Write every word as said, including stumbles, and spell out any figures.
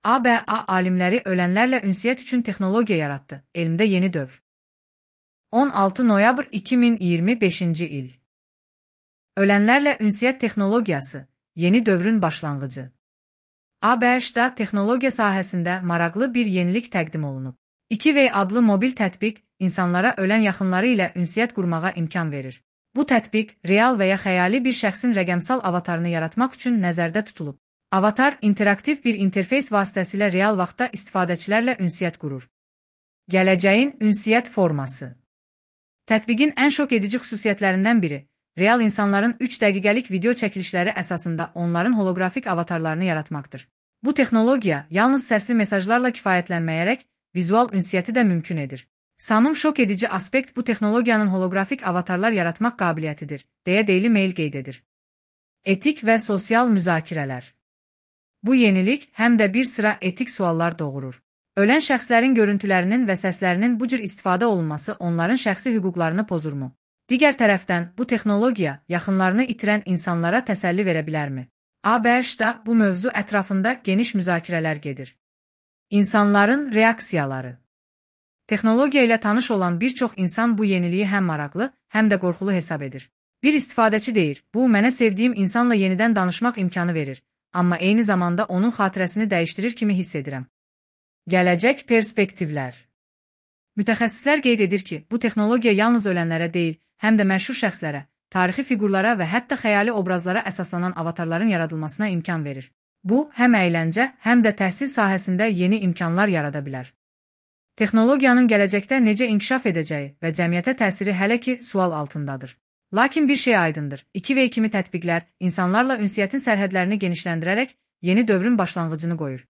A B A alimləri ölənlərlə ünsiyyət üçün texnologiya yaratdı. Elmdə yeni dövr. on altı noyabr iki min iyirmi beşinci il. Ölənlərlə ünsiyyət texnologiyası, yeni dövrün başlanğıcı. A B H-da texnologiya sahəsində maraqlı bir yenilik təqdim olunub. iki way adlı mobil tətbiq insanlara ölən yaxınları ilə ünsiyyət qurmağa imkan verir. Bu tətbiq real və ya xəyali bir şəxsin rəqəmsal avatarını yaratmaq üçün nəzərdə tutulub. Avatar interaktiv bir interfeys vasitəsilə real vaxtda istifadəçilərlə ünsiyyət qurur. Gələcəyin ünsiyyət forması. Tətbiqin ən şok edici xüsusiyyətlərindən biri, real insanların üç dəqiqəlik video çəkilişləri əsasında onların holoqrafik avatarlarını yaratmaqdır. Bu texnologiya yalnız səsli mesajlarla kifayətlənməyərək vizual ünsiyyəti də mümkün edir. Samım şok edici aspekt bu texnologiyanın holoqrafik avatarlar yaratmaq qabiliyyətidir, deyə Daily Mail qeyd edir. Etik və sosial müzakirələr. Bu yenilik həm də bir sıra etik suallar doğurur. Ölən şəxslərin görüntülərinin və səslərinin bu cür istifadə olunması onların şəxsi hüquqlarını pozurmu? Digər tərəfdən, bu texnologiya yaxınlarını itirən insanlara təsəlli verə bilərmi? A B H-da bu mövzu ətrafında geniş müzakirələr gedir. İnsanların reaksiyaları. Texnologiya ilə tanış olan bir çox insan bu yeniliyi həm maraqlı, həm də qorxulu hesab edir. Bir istifadəçi deyir, bu mənə sevdiyim insanla yenidən danışmaq imkanı verir, amma eyni zamanda onun xatirəsini dəyişdirir kimi hiss edirəm. Gələcək perspektivlər. Mütəxəssislər qeyd edir ki, bu texnologiya yalnız ölənlərə deyil, həm də məşhur şəxslərə, tarixi fiqurlara və hətta xəyali obrazlara əsaslanan avatarların yaradılmasına imkan verir. Bu, həm əyləncə, həm də təhsil sahəsində yeni imkanlar yarada bilər. Texnologiyanın gələcəkdə necə inkişaf edəcəyi və cəmiyyətə təsiri hələ ki sual altındadır. Lakin bir şey aydındır, iki way kimi tətbiqlər insanlarla ünsiyyətin sərhədlərini genişləndirərək yeni dövrün başlanğıcını qoyur.